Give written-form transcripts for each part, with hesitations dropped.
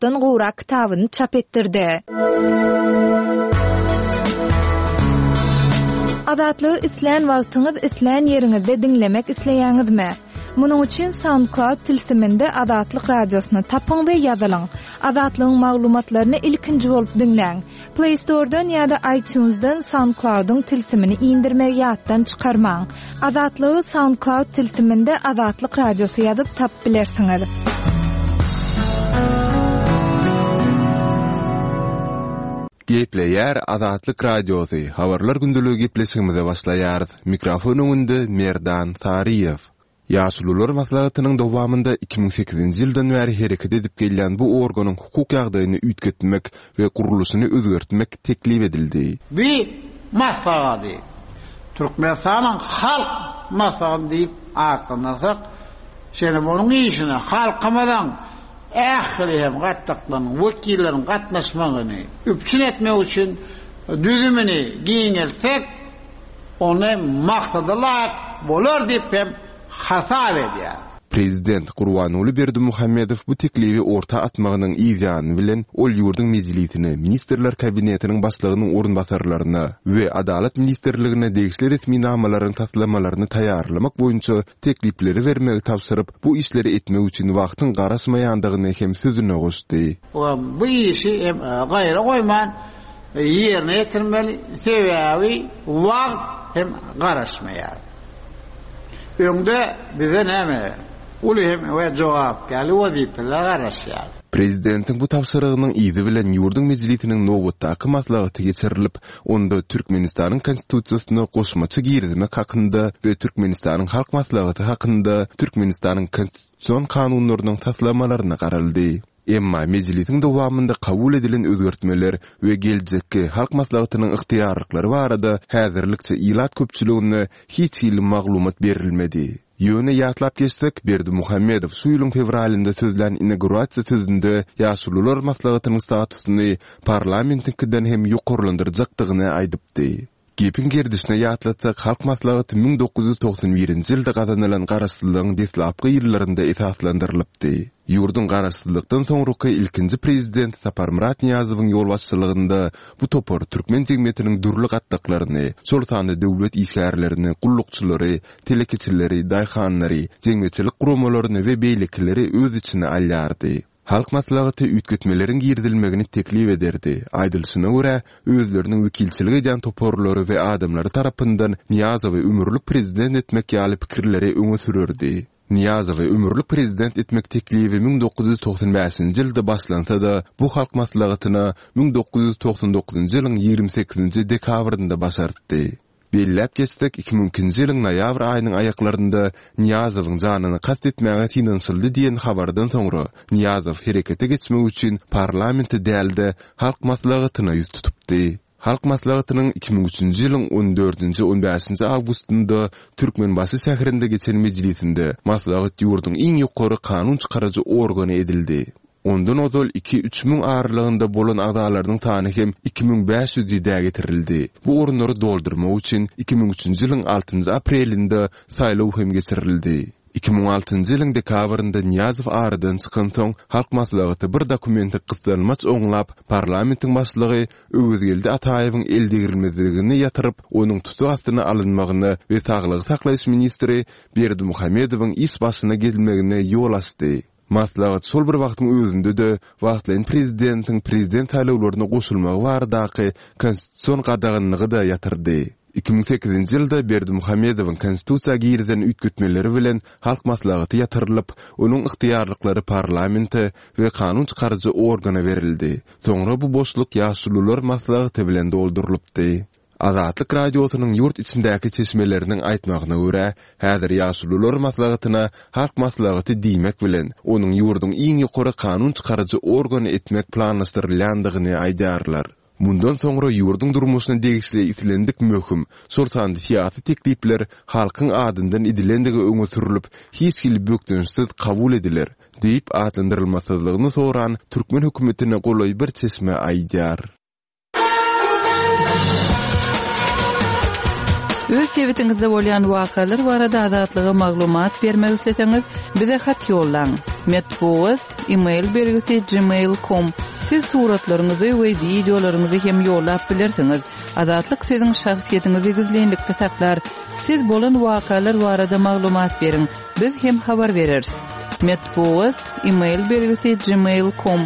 60-dan gowrak kitabyny çap etdirdi. Azatlygy islän wagtyňyz, islän ýeriňizde diňlemek isleýäňizmi? Munuň üçin SoundCloud tilsiminde Azatlyk Radiosyny tapyň we ýazylyň. Azatlygyň maglumatlaryny ilkinji bolup diňläň. Play Store-dan ýa-da iTunes-dan SoundCloud-yň tilsimini indirmegi ýatdan çykarmaň. Azatlygy SoundCloud tilsiminde Azatlyk Radiosy ýazyp tapyp bilersiňiz. Gepleýär Azatlyk Radiosy, Habarlar gündeligi gepleşigimize başlaýarys. Mikrofon öňünde Merdan Saryýew. Ýaşulular maslahatynyň dowamynda 2008-nji ýyldan bäri hereket edip gelýän bu organyň hukuk ýagdaýyny üýtgetmek we gurluşyny özgertmek teklip edildi. Bu maslahady Türkmenistanyň Halk Maslahaty diýip atlandyrsak, şeýle onuň işine halkymyzyň ähli hem gatlaklarynyň wekilleriniň gatnaşmagyny üpjün etmek üçin düzümini giňeltsek, ony maksada laýyk bolar diýip hem hasap edýär. Prezident Gurbanguly Berdimuhamedow bu teklibi orta atmagynyň yz ýany bilen ol ýurduň Mejlisine, Ministrler Kabinetiniň Başlygynyň orunbasarlaryna we Adalat ministrligine degişli resminamalaryň taslamalaryny taýýarlamak boýunça teklipleri bermegi tabşyryp, bu işleri etmek üçin wagtyň garaşmaýandygyny hem sözüne goşdy. Bu işi hem gaýra goýman ýerine ýetirmeli, sebäbi wagt hem garaşmaýar. Öňde bize näme uly hem we jogapkärli wezipeler garaşýar. Prezidentiň bu tabşyrygynyň yzy bilen ýurduň Mejlisiniň nobatdaky maslahaty geçirilip, onda Türkmenistanyň Konstitusiýasyna goşmaça girizmek hakynda we Türkmenistanyň Halk Maslahaty hakynda Türkmenistanyň Konstitusion kanunlarynyň taslamalaryna garaldy. Emma mejlisiň dowamynda kabul edilen özgertmeler we geljekki Halk Maslahatynyň ygtyýarlyklary barada häzirlikçe ilat köpçüligine hiç hili maglumat berilmedi. Ýöne ýatlap geçsek, Berdimuhamedow şu ýylyň fewralynda sözlän inaugurasiýa sözünde Ýaşulular maslahatynyň statusyny parlamentiňkiden hem ýokarlandyrjakdygyny aýdypdy. Gepiň gerdişine ýatlatsak, Halk Maslahaty 1991-nji ýylda gazanylan garaşsyzlygyň deslapky ýyllarynda esaslandyrylypdy. Ýurduň garaşsyzlykdan soňraky ilkinji prezidenti Saparmyrat Nyýazowyň ýolbaşçylygynda bu topar türkmen jemgyýetiniň dürli gatlaklaryny, şol sanda döwlet işgärlerini, gullukçylary, telekeçileri, daýhanlary, jemgyýetçilik guramalaryny we beýlekileri öz içine alýardy. Halk Maslahaty üýtgetmeleriň girizilmegini teklip ederdi. Aýdylyşyna görä, özleriniň wekilçilik edýän toparlary we adamlary tarapyndan Nyýazowy ömürlik prezident etmek ýaly pikirleri öňe sürerdi. Nyýazowy ömürlik prezident etmek teklibi 1995-nji ýylda başlansa-da, bu Halk Maslahatyna 1999-njy ýylyň 28-nji dekabrynda başartdy. Belläp geçsek, 2002-nji ýylyň noýabr aýynyň aýaklarynda Nyýazowyň janyna kast etmäge synanyşyldy diýen habardan soňra, Nyýazow herekete geçmek üçin parlamente däl-de, Halk Maslahatyna ýüz tutupdy. Halk Maslahatynyň 2003-nji ýylyň on dördünji-on bäşinji awgustynda Türkmenbaşy şäherinde geçen mejlisinde maslahat ýurduň iň ýokary kanun çykaryjy organy edildi. Ondan ozal iki-üç müň aralygynda bolan agzalarynyň sany hem 2500 ýedä getirildi. Bu orunlary doldurmak üçin 2003-nji ýylyň altynjy aprelinde saýlaw hem geçirildi. 2006-njy ýylyň dekabrynda Nyýazow aradan çykansoň, Halk Maslahaty bir dokumenti gyssanmaç oňlap, parlamentiň başlygy Öwezgeldi Ataýewiň eldegrilmezligini ýatyryp, onuň tussag astyna alynmagyna we saglygy saklaýyş ministri Berdimuhamedowyň iş başyna gelmegine ýol açdy. Maslahat şol bir wagtyň özünde-de wagtlaýyn prezidentiň prezident saýlawlaryna goşulmagy baradaky konstitusion gadaganlygy-da ýatyrdy. 2008-nji ýylda Berdimuhamedowyň konstitusiýa girizen üýtgetmeleri bilen Halk Maslahaty ýatyrylyp, onuň ygtyýarlyklary parlamente we kanun çykaryjy organa berildi. Soňra bu boşluk Ýaşulular maslahaty bilen doldurylypdy. Azatlyk Radiosynyň ýurt içindäki çeşmeleriniň aýtmagyna görä, häzir Ýaşulular maslahatyna Halk maslahaty diýmek bilen, onuň ýurduň iň ýokary kanun çykaryjy organy etmek planlaşdyrylýandygyny aýdýarlar. Mundan soňra ýurduň durmuşyna degişli islendik möhüm, şol sanda syýasy teklipler halkyň adyndan edilendigi öňe sürlüp, hiç hili bökdençsiz kabul ediler, diýip, atlandyrylmasyzlygyny soran türkmen hökümetine golaý bir çeşme aýdýar. Öz sebitiňizde bolýan wakalar barada Azatlyga maglumat bermek isleseňiz, bize hat ýollaň. Metbugat, e-mail belgisi gmail com. Siz suratlaryňyzy we wideolaryňyzy hem ýollap bilersiňiz. Azatlyk siziň şahsyýetiňizi gizlinlikde saklar. Siz bolan wakalar barada maglumat beriň, biz hem habar bereris. Metbugat, e-mail belgisi gmail com.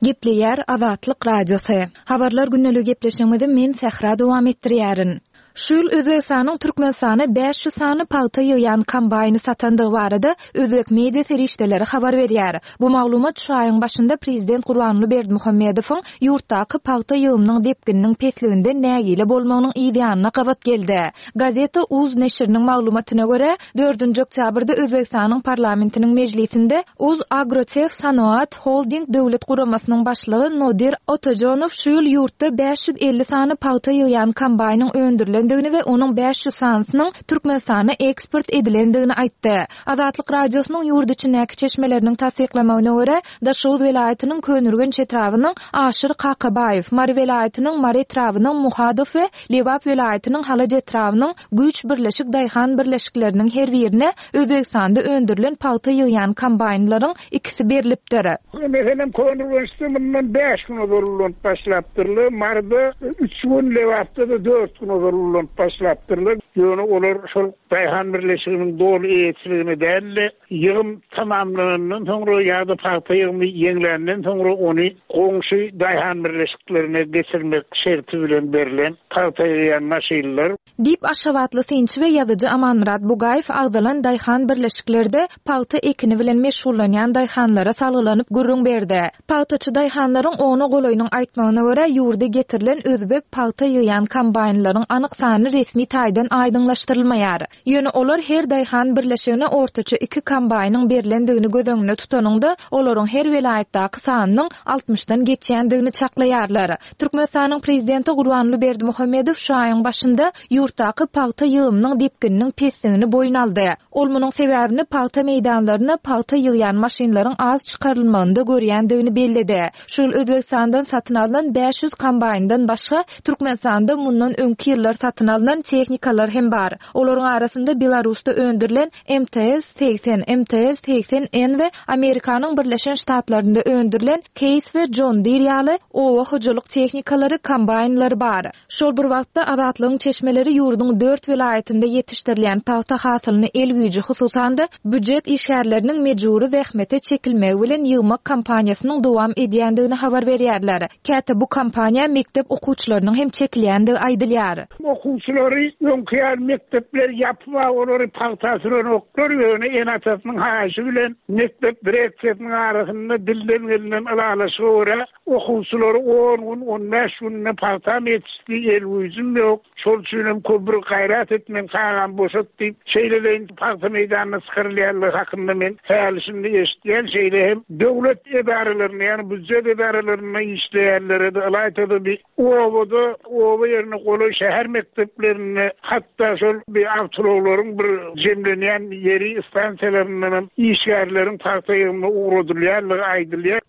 Gepleýär Azatlyk Radiosy. Habarlar gündeligi gepleşigimizi men Sähra dowam etdirýärin. Şu ýyl Özbegistanyň Türkmenistana 500 sany pagta ýygýan kombaýny satandygy barada özbek media serişdeleri habar berýär. Bu maglumat şu aýyň başynda prezident Gurbanguly Berdimuhamedowyň ýurtdaky pagta ýygymynyň depgininiň pesliginden nägile bolmagynyň yz ýanyna gabat geldi. Gazeta uz neşiriniň maglumatyna görä, dördünji oktýabrda Özbegistanyň parlamentiniň mejlisinde Uz Agroteh Sanoat Holding döwlet guramasynyň başlygy Nodir Otajonow şu ýyl ýurtda 550 sany pagta ýygýan kombaýnyň öndürilendigini we onuň 500 sanysynyň Türkmenistana eksport edilendigini aýtdy. Azatlyk Radiosynyň ýurt içindäki çeşmeleriniň tassyklamagyna görä, Daşoguz welaýatynyň Köneürgenç etrabynyň Aşyr Kakabaýew, Mary welaýatynyň Mary etrabynyň Muhadow we Lebap welaýatynyň Halaç etrabynyň Güýç birleşik daýhan birleşikleriniň her birine Özbegistanda öndürilen pagta ýygýan kombaýnlaryň ikisi berlipdir. Meselem, Köneürgençde mundan bäş gün ozal ulanyp başlapdyrlar, Maryda üç gün, Lebapda-da dört gün ozal ulanyp başlapdyrlar. Ýöne olar şol daýhan birleşiginiň doly eýeçiligine däl-de, Ýygym tamamlanandan soňra ýa-da pagta ýygymy ýeňländen soňra ony goňşy daýhan birleşiklerine geçirmek şerti bilen berlen pagta ýygýan maşynlar. Diýip, aşgabatly synçy we ýazyjy Amanmyrat Bugaýew agzalan daýhan birleşiklerde pagta ekini bilen meşgullanýan daýhanlara salgylanyp gürrüň berdi. Pagtaçy daýhanlaryň ona golaýynyň aýtmagyna görä, ýurda getirilen özbek pagta ýygýan kombaýnlaryň anyk sany resmi taýdan aýdyňlaşdyrylmaýar. Ýöne olar her daýhan birleşigine ortaça iki kombaýnyň berlendigini göz öňünde tutanyňda, olaryň her welaýatdaky sanynyň altmyşdan geçýändigini çaklaýarlar. Türkmenistanyň prezidenti Gurbanguly Berdimuhamedow şu aýyň başynda ýurtdaky pagta ýygymynyň depgininiň pesdigini boýun aldy. Ol munuň sebäbini pagta meýdanlaryna pagta ýygýan maşynlaryň az çykarylmagynda görýändigini belledi. Şu ýyl Özbegistandan satyn alnan 500 kombaýndan başga, Türkmenistanda mundan öňki ýyllar satyn alnan tehnikalar hem bar. Olaryň arasynda Belarusda öndürilen MTS 80, MTS 80 N we Amerikanyň Birleşen Ştatlarynda öndürilen Case we John Deere ýaly oba hojalyk tehnikalary, kombaýnlary bar. Şol bir wagtda, Azatlygyň çeşmeleri ýurduň dört welaýatynda ýetişdirilýän pagta hasylyny el güýji, hususan-da, býujet işgärleriniň mejbury zähmete çekilmegi bilen ýygmak kampaniýasynyň dowam edýändigini habar berýärler. Käte bu kampaniýa mekdep okuwçylarynyň hem çekilýändigi aýdylýar. Okuwçylary öňki ýaly mekdepler ýapyp-a olary pagta sürenoklar, ýöne ene-atasynyň haýyşy bilen mekdep direksiýasynyň arasynda dilden gelnen ylalaşyga görä Okuwçylary on gün, on bäş günde pagtam ýetişdi, el güýjüm ýok, şol üçinem köp bir gaýrat et, meň çagamy boşat diýip, şeýleleýin pagta meýdanyna çykarylýanlygy hakynda men häli-şindi eşidýän, şeýle hem döwlet edaralarynda, ýagny býujet edaralarynda işleýänlere-de, ylaýta-da bi obada, oba ýerine golaý şäher mekdeplerinde, hatda şol bi awtoulaglaryň bir jemlenýän ýeri, stansiýalaryndanam işgärleriň pagta ýygymyna ugradylýanlygy aýdylýar.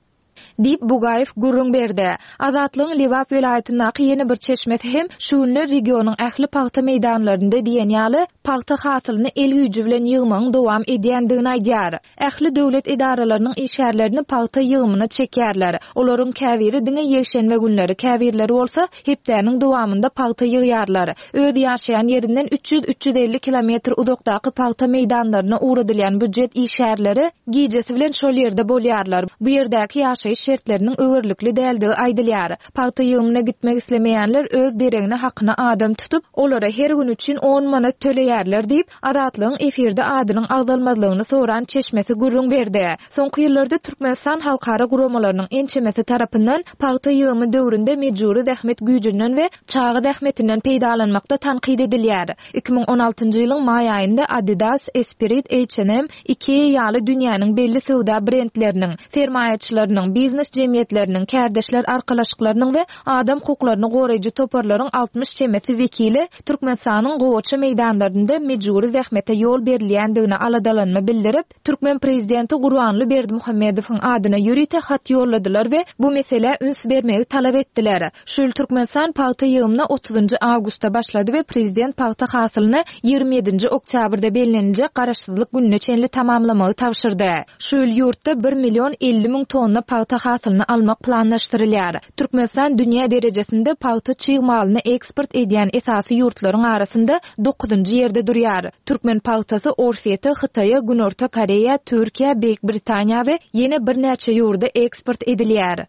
Diýip, Bugaýew gürrüň berdi. Azatlygyň Lebap welaýatyndaky ýene bir çeşmesi hem şu günler regionyň ähli pagta meýdanlarynda diýen ýaly pagta hasylyny el güýji bilen ýygmagyň dowam edýändigini aýdýar. Ähli döwlet edaralarynyň işgärlerini pagta ýygymyna çekýärler. Olaryň käbiri diňe ýekşenbe günleri, käbirleri bolsa hepdäniň dowamynda pagta ýygýarlar. Öz ýaşaýan ýerinden 300-350 kilometr uzakdaky pagta meýdanlaryna ugradylýan býujet işgärleri gijesi bilen şol ýerde bolýarlar. Bu ýerdäki ýaşaýyş şertleriniň öwerlikli däldigi aýdylýar. Pagta ýygymyna gitmek islemeýänler öz deregine hakyna adam tutup, olara her gün üçin on manat töleýärler diýip, Azatlygyň efirde adynyň agzalmazlygyny soran çeşmesi gürrüň berdi. Soňky ýyllarda Türkmenistan halkara guramalarynyň ençemesi tarapyndan pagta ýygymy döwründe mejbury zähmet güýjünden we çaga zähmetinden peýdalanmakda tankyt edilýär. 2016-njy ýylyň maý aýynda Adidas, Esprit, H&M, Ikea ýaly dünýäniň belli söwda brendleriniň, sermaýaçylarynyň, biznes jemgyýetleriniň, kärdeşler arkalaşyklarynyň we adam hukuklaryny goraýjy toparlaryň 60 çemesi wekili Türkmenistanyň gowaça meýdanlarynda mejbury zähmete ýol berilýändigine aladalanma bildirip, türkmen prezidenti Gurbanguly Berdimuhamedowyň adyna ýörite hat ýolladylar we bu meselä üns bermegi talap etdiler. Şu ýyl Türkmenistan pagta ýygymyna otuzynjy awgustda başlady we prezident pagta hasylyny 27-nji oktýabrda belleniljek Garaşsyzlyk gününe çenli tamamlamagy tabşyrdy. Şu ýyl ýurtda bir million 50 müň tonna pagta hasylyny almak planlaşdyrylýar. Türkmenistan dünýä derejesinde pagta çig malyny eksport edýän esasy ýurtlaryň arasynda dokuzynjy ýerde durýar. Türkmen pagtasy Orsýete, Hytaýa, Günorta Koreýa, Türkiýä, Beýik Britaniýa we ýene birnäçe ýurda eksport edilýär.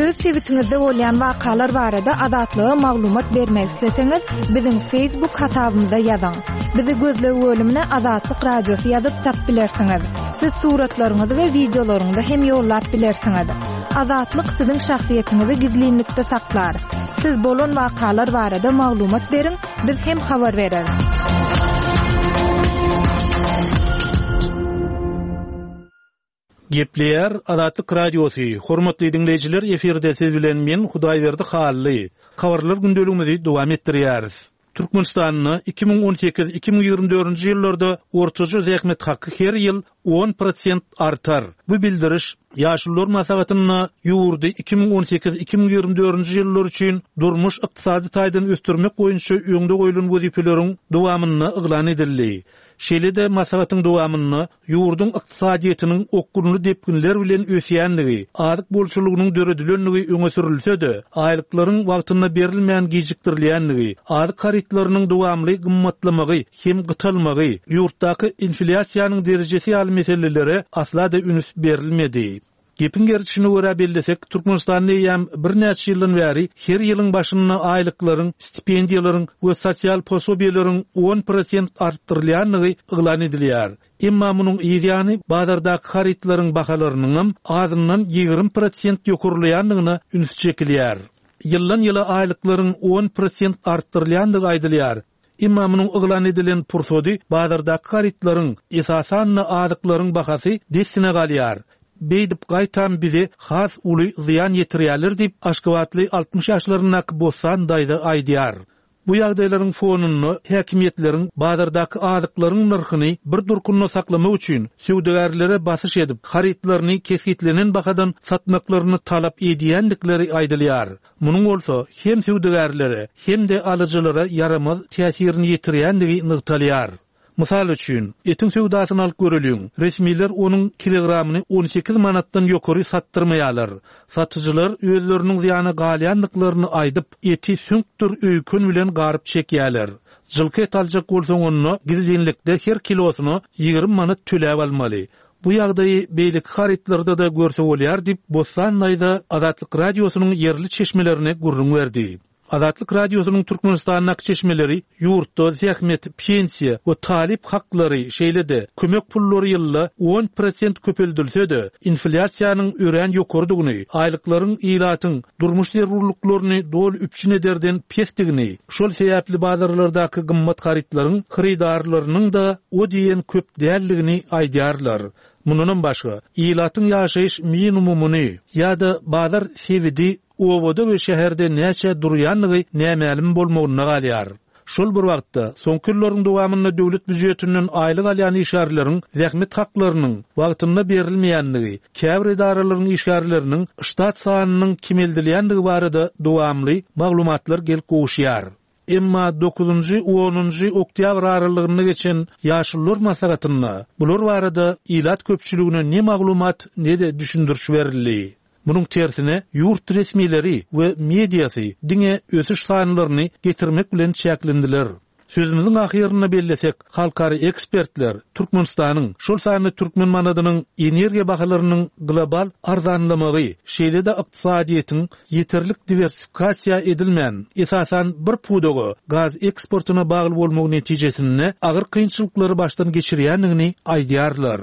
Öz sebitiňizde bolýan wakalar barada Azatlyga maglumat bermek isleseňiz, biziň Facebook hasabymyza ýazyň. Bizi gözleg bölümine Azatlyk Radiosy ýazyp tapyp bilersiňiz. Siz suratlaryňyzy we wideolaryňyzy hem ýollap bilersiňiz. Azatlyk siziň şahsyýetiňizi gizlinlikde saklar. Siz bolan wakalar barada maglumat beriň, biz hem habar bereris. Gepleýär Azatlyk Radiosy, Hormatly diňleýjiler efirde siz bilen men Hudaýberdi Hally. Habarlar gündeligimizi dowam etdirýäris. Türkmenistanda 2018, 2024-nji ýyllarda ortaça zähmet haky her ýyl on prosent artar. Bu bildiriş Ýaşulular maslahatynda ýurdy 2018, 2024-nji ýyllar üçin durmuş-ykdysady taýdan ösdürmek boýunça öňde goýlan wezipeleriň dowamynda yglan edildi. Şeýle-de maslahatyň dowamynda ýurduň ykdysadyýetiniň okgunly depginler bilen ösýändigi, azyk bolçulygynyň döredilendigi öňe sürülse-de, aýlyklaryň wagtynda berilmän gijikdirilýändigi, azyk harytlarynyň dowamly gymmatlamagy hem gytalmagy, ýurtdaky inflýasiýanyň derejesi ýaly meselelere asla-da üns berilmedi. Gepiň gerçegine görä bellesek, Türkmenistanda eýýäm birnäçe ýyldan bäri her ýylyň başynda aýlyklaryň, stipendiýalaryň we sosial posobiýeleriň on prosent artdyrylýandygy yglan edilýär. Emma munuň yz ýany bazardaky harytlaryň bahalarynyňam azyndan 20 prosent ýokarlaýandygyna üns çekilýär. Ýyldan-ýyla aýlyklaryň on prosent artdyrylýandygy aýdylýar. Emma munuň yglan edilen pursady bazardaky harytlaryň, esasan-da azyklaryň bahasy dessine galýar. Beýdip gaýtam bize has uly zyýan ýetirýärler diýip, aşgabatly 60 ýaşlaryndaky Bossan daýza aýdýar. Bu ýagdaýlaryň fonunda häkimiýetleriň bazardaky azyklaryň nyrhyny bir durkunda saklamak üçin söwdagärlere basyş edip, harytlaryny kesgitlenen bahadan satmaklaryny talap edýändikleri aýdylýar. Munuň bolsa hem söwdagärlere, hem-de alyjylara ýaramaz täsirini ýetirýändigi nygtalýar. Mysal üçin, etiň söwdasyny alyp göreliň, resmiler onuň kilogramyny 18 manatdan ýokary satdyrmaýarlar. Satyjylar özleriniň zyýana galýandyklaryny aýdyp, eti süňkdür öýken bilen garyp çekýärler. Jylky et aljak bolsaň onda gizlinlikde her kilosyna 20 manat töläp almaly. Bu ýagdaýy beýleki harytlarda-da görse bolýar diýip, Bossan daýza Azatlyk Radiosynyň ýerli çeşmelerine gürrüň berdi. Azatlyk Radiosynyň Türkmenistandaky çeşmeleri ýurtda zähmet, pensiýa we talyp haklary, şeýle-de kömek pullary ýylda on prosent köpeldilse-de, inflýasiýanyň örän ýokarydygyny, aýlyklaryň ilatyň durmuş zerurlyklaryny doly üpjün ederden pesdigini, şol sebäpli bazarlardaky gymmat harytlaryň hyrydarlarynyň-da o diýen köp däldigini aýdýarlar. Mundanam başga, ilatyň ýaşaýyş minimumyny ýa-da bazar sebidi obada we şäherde näçä durýandygy nämälim bolmagynda galýar. Şol bir wagtda, soňky ýyllaryň dowamynda döwlet býujetinden aýlyk alýan işgärleriň zähmet haklarynyň wagtynda berilmeýändigi, käbir edaralaryň işgärleriniň ştat sanynyň kemeldilýändigi barada dowamly maglumatlar gelip gowuşýar. Emma dokuzynjy, onunjy oktýabr aralygynda geçen Ýaşulular maslahatynda bular barada ilat köpçüligine ne maglumat, ne-de düşündiriş berildi. Munuň tersine, ýurt resmileri we mediasy diňe ösüş sanlaryny getirmek bilen çäklendiler. Sözümiziň ahyrynda bellesek, halkara ekspertler Türkmenistanyň, şol sanda türkmen manadynyň energiýa bahalarynyň global arzanlamagy, şeýle-de ykdysadyýetiň ýeterlik diwersifikasiýa edilmän, esasan bir pudaga, gaz eksportyna bagly bolmagy netijesinde agyr kynçylyklary başdan geçirýändigini aýdýarlar.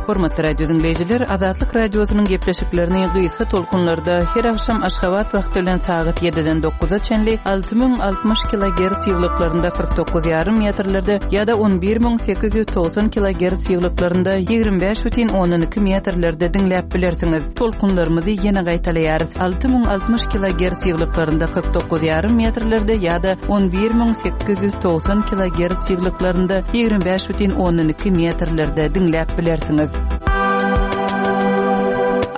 Hormatly radio diňleýjiler, Azatlyk Radiosynyň gepleşiklerini gysga tolkunlarda her agşam Aşgabat wagty bilen sagat ýediden dokuza çenli 6060 kilogerts ýyglyklarynda 49 ýarym metrlerde ýa-da 11890 kilogerts ýyglyklarynda 25 bütin ondan iki metrlerde diňläp bilersiňiz. Tolkunlarymyzy ýene gaýtalaýarys, 6060 kilogerts ýyglyklarynda 49 ýarym metrlerde ýa-da 11890 kilogerts ýyglyklarynda 25 bütin ondan iki metrlerde diňläp bilersiňiz.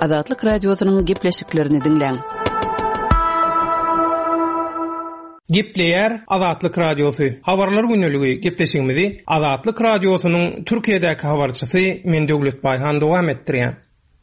Azatlyk Radiosynyň gepleşiklerini diňläň. Gepleýär Azatlyk Radiosy, Habarlar gündeligi gepleşigimizi Azatlyk Radiosynyň Türkiýedäki habarçysy men Döwlet Baýhan dowam etdirýän.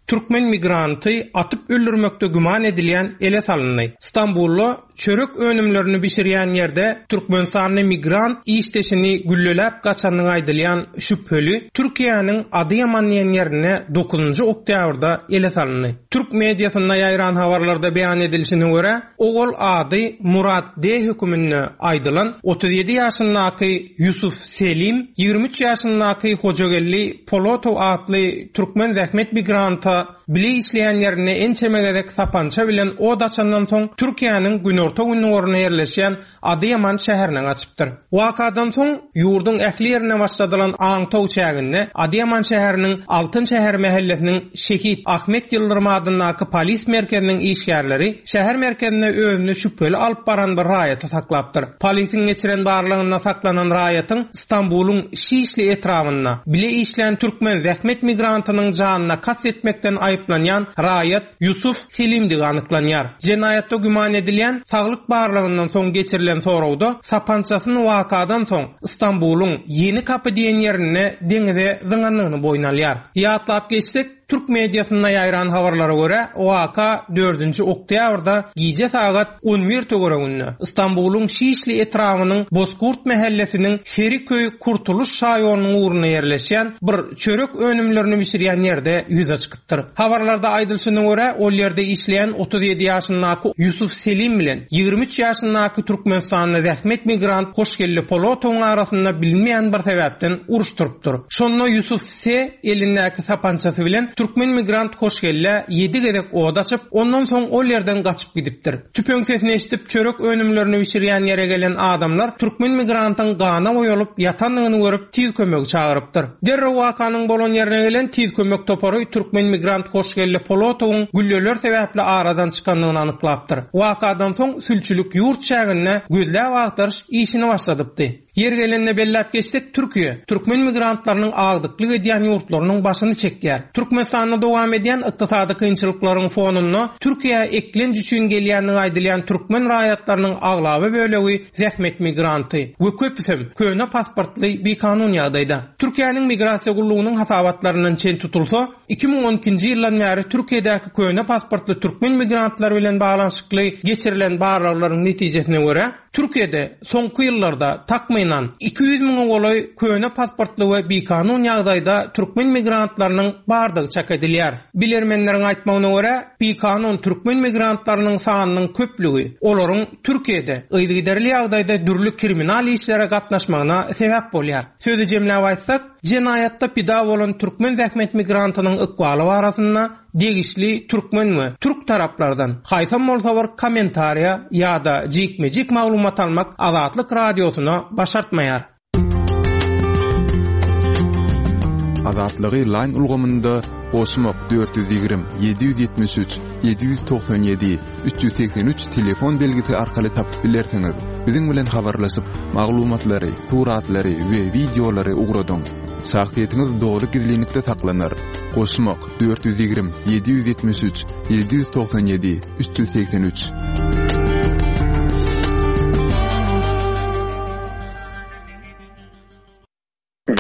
Türkmen migranty atyp öldürmekde güman edilýän ele salyndy. Stambulda çörek önümlerini bişirýän ýerde türkmenistanly migrant işdeşini gülleläp gaçandygy aýdylýan şübheli Türkiýäniň Adyýaman diýen ýerinde dokuzynjy oktýabrda ele salyndy. Türk mediasynda ýaýran habarlarda beýan edilişine görä, Ogul ady Murat D. höküminde aýdylan 37 ýaşyndaky Ýusuf Selim, 23 ýaşyndaky Hojageldi Polotow atly türkmen zähmet migranta bile işleýän ýerinde ençeme gezek sapança bilen od açandan soň Türkiýäniň günorta-gündogarynda ýerleşýän Adyýaman şäherine gaçypdyr. Wakadan soň, ýurduň ähli ýerine başladylan aňtaw çäginde Adyýaman şäheriniň Altyn şäher mähellesiniň Şehit Ahmet Ýyldyrym adyndaky polis merkeziniň işgärleri şäher merkezinde özüni şübheli alyp baran bir raýaty saklapdyr. Polisiň geçiren barlagynda saklanan raýatyň Stambulyň Şişli etrabynda bile işlän türkmen zähmet migrantynyň janyna kast etmekden aýyplanýan raýat Ýusuf Selimdigi anyklanýar. Jenaýatda güman edilýän saglyk barlagyndan soň geçirilen soragda sapançasyny wakadan soň Stambulyň Ýeni Kapy diýen ýerinde deňize zyňandygyny boýun alýar. Ýatlap geçsek, türk mediasynda ýaýran habarlara görä, waka dördünji oktýabrda gije sagat 11 töwereginde Stambulyň Şişli etrabynyň Bozkurt mähellesiniň Feriköý Kurtuluş şaýolunyň ugrunda ýerleşýän bir çörek önümlerini bişirýän ýerde ýüze çykypdyr. Habarlarda aýdylyşyna görä, ol ýerde işleýän 37 ýaşyndaky Ýusuf Selim bilen 23 ýaşyndaky türkmenistanly zähmet migrant Hoşgeldi Polotowyň arasynda bilinmeýän bir sebäpden uruş turupdyr. Şonda Ýusuf S. elindäki sapançasy bilen türkmen migrant Hoşgeldä ýedi gezek od açyp, ondan soň ol ýerden gaçyp gidipdir. Tüpeň sesini eşidip, çörek önümlerini bişirýän ýere gelen adamlar türkmen migrantyň gana boýalyp ýatandygyny görüp, tiz kömegi çagyrypdyr. Derrew wakanyň bolan ýerine gelen tiz kömek topary türkmen migrant Hoşgeldi Polotowyň gülleler sebäpli aradan çykandygyny anyklapdyr. Wakadan soň sülçülik ýurt çäginde gözläp-agtaryş işini başladypdy. Ýeri gelende belläp geçsek, Türkiýe türkmen migrantlarynyň agdyklyk edýän ýurtlarynyň başyny çekýär. Türkmenistanda dowam edýän ykdysady kynçylyklaryň fonunda Türkiýä eklenç üçin gelýändigi aýdylýan türkmen raýatlarynyň aglaba bölegi zähmet migranty we köpüsem köne pasportly bikanun ýagdaýda. Türkiýäniň Migrasiýa gullugynyň hasabatlaryndan çen tutulsa, 2012-nji ýyldan bäri Türkiýedäki köne pasportly türkmen migrantlary bilen baglanyşykly geçirilen barlaglaryň netijesine görä, Türkiýede soňky ýyllarda takmynan 200 müňe golaý köne pasportly we bikanun ýagdaýda türkmen migrantlarynyň bardygy çak edilýär. Bilermenleriň aýtmagyna görä, bikanun türkmen migrantlarynyň sanynyň köplügi olaryň Türkiýede yzygiderli ýagdaýda dürli kriminal işlere gatnaşmagyna sebäp bolýar. Sözi jemläp aýtsak, jenaýatda pida bolan türkmen zähmet migrantynyň ykbaly barasynda degişli türkmen we türk taraplardan haýsam bolsa bir kommentariýa ýa-da jikme-jik maglumat almak Azatlyk Radiosyna başartmaýar. Azatlygy Line ulgamynda goşmak 420 773 797 383 telefon belgisi arkaly tapyp bilersiňiz. Biziň bilen habarlaşyp, maglumatlary, suratlary we wideolary ugradyň. Şahsyýetiňiz doly gizlinlikde saklanar. Goşmak 420 773 797 383.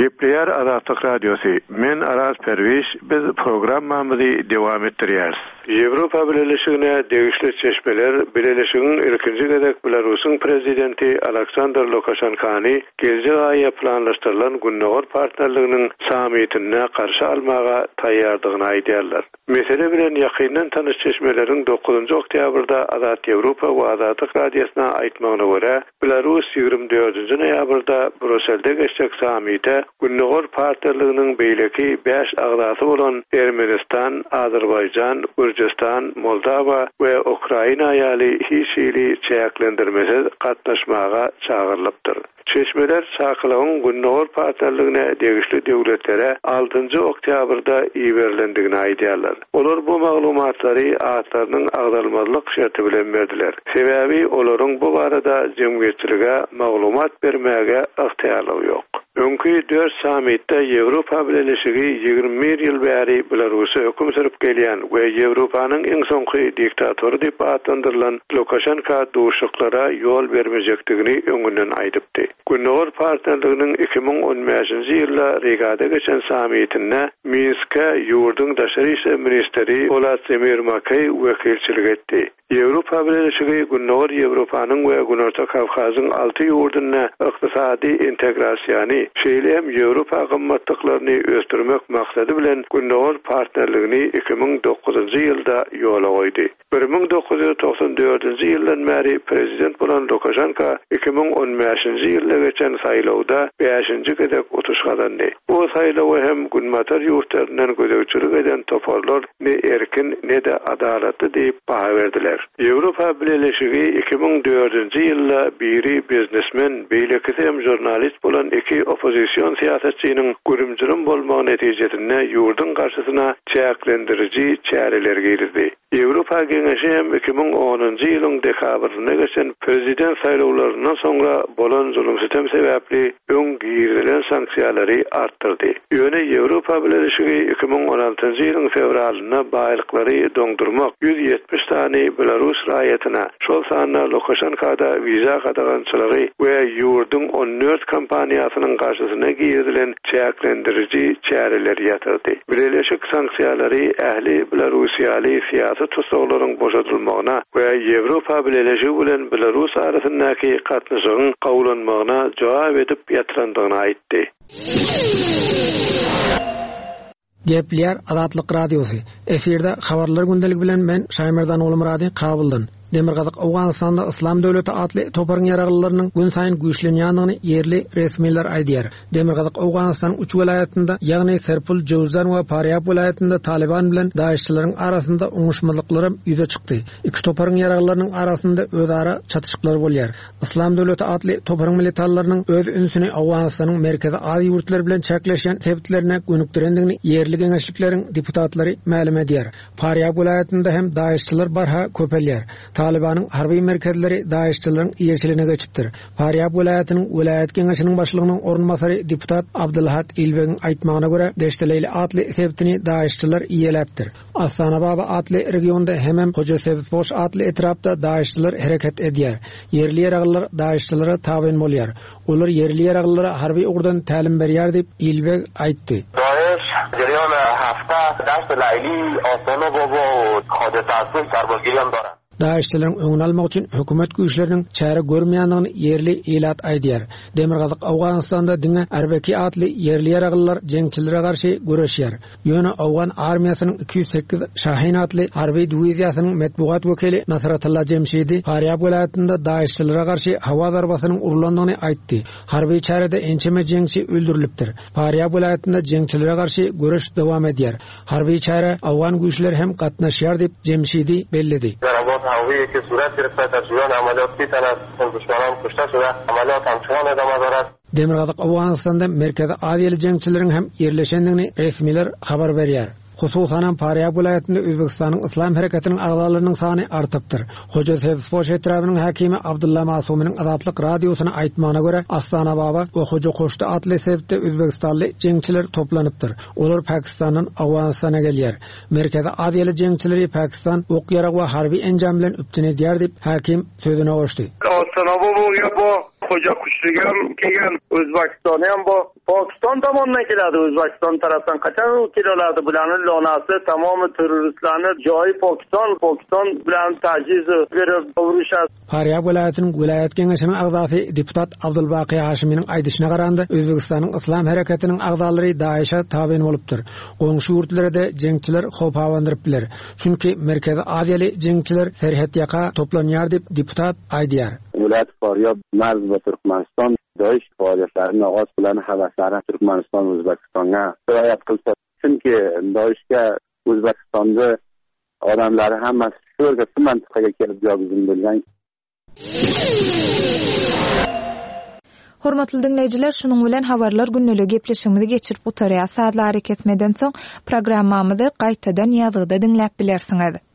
Gepleýär Azatlyk Radiosy, Men Araz Perwiş, biz programmamyzy dowam etdirýäris. Ýewropa Bileleşigine degişli çeşmeler Bileleşigiň ilkinji gezek Belarusyň Prezidenti Aleksandr Lukaşenkany geljek aýa planlaşdyrylan Gündogar partnerliginiň sammitinde garşy almaga taýýardygyny aýdýarlar. Mesele bilen ýakyndan tanyş çeşmeleriň dokuzynjy oktýabrda Azat Ýewropa we Azatlyk Radiosyna aýtmagyna görä, Belarus 24 noýabrda Bruselde geçjek sammite. Gündogar partnerliginiň beýleki bäş agzasy bolan Ermenistan, Azerbaýjan, Gürjüstan, Moldawa we Ukraina ýaly hiç hili çäklendirmesiz gatnaşmaga çagyrylypdyr. Çeşmeler çakylygyň Gündogar partnerligine degişli döwletlere altynjy oktýabrda iberilendigini aýdýarlar. Olar bu maglumatlary atlarynyň agzalmazlyk şerti bilen berdiler. Sebäbi olaryň bu barada jemgyýetçilige maglumat bermäge ygtyýarlygy ýok. Öňki dört sammitde Ýewropa Bileleşigi 21 ýyl bäri Belarusda höküm sürüp gelýän we Ýewropanyň iň soňky diktatory diýip atlandyrylan Lukaşenka duşuşyklara ýol bermejekdigini öňünden aýdypdy. Gündogar partnerliginiň 2015-nji ýylda Rigada geçen sammitinde Minske ýurduň daşary işler ministri Wladimir Makeý wekilçilik etdi. Ýewropa Bileleşigi Gündogar Ýewropanyň we Günorta Kawkazyň alty ýurdunda ykdysady integrasiýany, şeýle hem Ýewropa gymmatlyklaryny ösdürmek maksady bilen Gündogar partnerligini 2009-njy ýylda ýola goýdy. 1994-nji ýyldan bäri prezident bolan Lukaşenko 2015-nji ýylda geçen saýlawda bäşinji gezek utuş gazandy. Bu saýlawa hem Günbatar ýurtlaryndan gözegçilik eden toparlar ne erkin, ne-de adalatly diýip baha berdiler. Ýewropa Bileleşigi 2004-nji ýylda biri biznesmen, beýlekisi hem žurnalist bolan iki oppozision syýasatçynyň gürüm-jürüm bolmagy netijesinde ýurduň garşysyna çäklendiriji çäreleri girizdi. Ýewropa Geňeşi hem 2010-njy ýylyň dekabrynda geçen prezident saýlawlaryndan soňra bolan zulum-sütem sebäpli öň girizilen sanksiýalary artdyrdy. Ýöne Ýewropa Bileleşigi 2016-njy ýylyň fewralynda baýlyklary doňdurmak, 170 sany belarus raýatyna, şol sanda Lukaşenka-da wiza gadagançylygy we ýurduň 14 kompaniýasynyň garşysyna girizilen çäklendiriji çäreleri ýatyrdy. Bileleşik sanksiýalary ähli belarussiýaly syýasy tussaglaryň boşadylmagyna we Ýewropa Bileleşigi bilen Belarus arasyndaky gatnaşygyň gowulanmagyna jogap edip ýatyrandygyny aýtdy. Gepleýär Azatlyk Radiosy. Efirde Habarlar gündeligi bilen men Şaýmerdan Ogulmyrady Kabuldan. Demirgazyk Owganystanda Yslam döwleti atly toparyň ýaraglylarynyň günsaýyn güýçlenýändigini ýerli resmiler aýdýar. Demirgazyk Owganystanyň üç welaýatynda, ýagny Serpul, Jöwzan we Parýab welaýatynda Talyban bilen DAIŞ-çileriň arasynda oňuşmazlyklaram ýüze çykdy. Iki toparyň ýaraglylarynyň arasynda özara çatyşyklar bolýar. Yslam döwleti atly toparyň militanlarynyň öz ünsüni Owganystanyň Merkezi Aziýa ýurtlary bilen çäkleşýän sebitlerine gönükdirendigini ýerli geňeşlikleriň deputatlary mälim edýär. Farýab welaýatynda hem DAIŞ-çylar barha köpelýär. Talybanyň harby merkezleri DAIŞ-çylaryň eýeçiligine geçipdir. Farýab welaýatynyň welaýat geňeşiniň başlygynyň orunbasary deputat Abdylhat Ilbegiň aýtmagyna görä, Deşteleýli atly sebitini DAIŞ-çylar eýeläpdir. Astanababa atly regionda hemem Hojasebzpoş atly etrapda DAIŞ-çylar hereket edýär. Ýerli ýaraglylar DAIŞ-çylara tabyn bolýar. Olar ýerli ýaraglylara harby ugurdan tälim berýär diýip, Ilbeg aýtdy. Daeş jeriýan hafta Daşt Laýli, Astana Baba we Hoja Tasbih sarbazgiri hem doran. DAIŞ-çileriň öňüni almak üçin hökümet güýçleriniň çäre görmeýändigini ýerli ilat aýdýar. Demirgazyk Owganystanda diňe Arbeki atly ýerli ýaraglylar jeňçilere garşy göreşýär. Ýöne owgan armiýasynyň 208 Şahin atly harby diwiziýasynyň metbugat wekili Nasratullah Jemşidi Farýab welaýatynda DAIŞ-çilere garşy howa zarbasynyň urlandygyny aýtdy. Harby çärede ençeme jeňçi öldürilipdir. Farýab welaýatynda jeňçilere garşy göreş dowam edýär. Harby çärä owgan güýçleri hem gatnaşýar diýip, Jemşidi belledi. Zarabat hawiýi ki surat girifte dar juriyan amaliyot si tan az duşmanan kuşta şude amaliyot hamçinan edama dorad. Demirgazyk Owganystanda Merkezi Aziýaly jeňçileriň hem ýerleşendigini resmiler habar berýär. Hususanam Farýab welaýatynda Özbegistanyň Yslam hereketiniň agzalarynyň sany artypdyr. Hoja Sebzpoş etrabynyň häkimi Abdylla Masumynyň Azatlyk Radiosyna aýtmagyna görä, Astanababa we Hoja Koşdy atly sebitde özbegistanly jeňçiler toplanypdyr. Olar Pakistandan Owganystana gelýär. Merkezi Aziýaly jeňçileri Pakistan ok-ýarag we harby enjam bilen üpjün edýär diýip, häkim sözüne goşdy. Astanababa Hoja Kuşlugam kelgan, O'zbekistoni ham bor. Pokiston tomondan keladi, O'zbekiston tarafdan qachon keloladi? Bularni lonasi tamomi terroristlarni joyi Pokiston, Pokiston bilan tajhiz berib urushadi. Farýab welaýatynyň welaýat geňeşiniň agzasy deputat Abdulbaky Haşiminiň aýdyşyna garanda, Özbegistanyň Yslam hereketiniň agzalary DAIŞ-e tabyn bolupdyr. Goňşy ýurtlara-da jeňçiler howp abandyryp biler. Çünki Merkezi Aziýaly jeňçiler serhetýaka toplanýar diýip, deputat aýdýar. Welaýat Farýab marz ba Türkmenistan. Doish faoliyatlarini ogoz bilan havaslari Turkmaniston, O'zbekistonga sirayat qilsa, chunki Doishga O'zbekistonda odamlari hammasi shu yerga, shu mintaqaga kelib jogizim bo'lgan. Hormatly diňleýjiler, şunuň bilen Habarlar gündeligi gepleşigimizi geçirip gutarýas. Sazly arakesmeden soň programmamyzy gaýtadan ýazgyda diňläp bilersiňiz.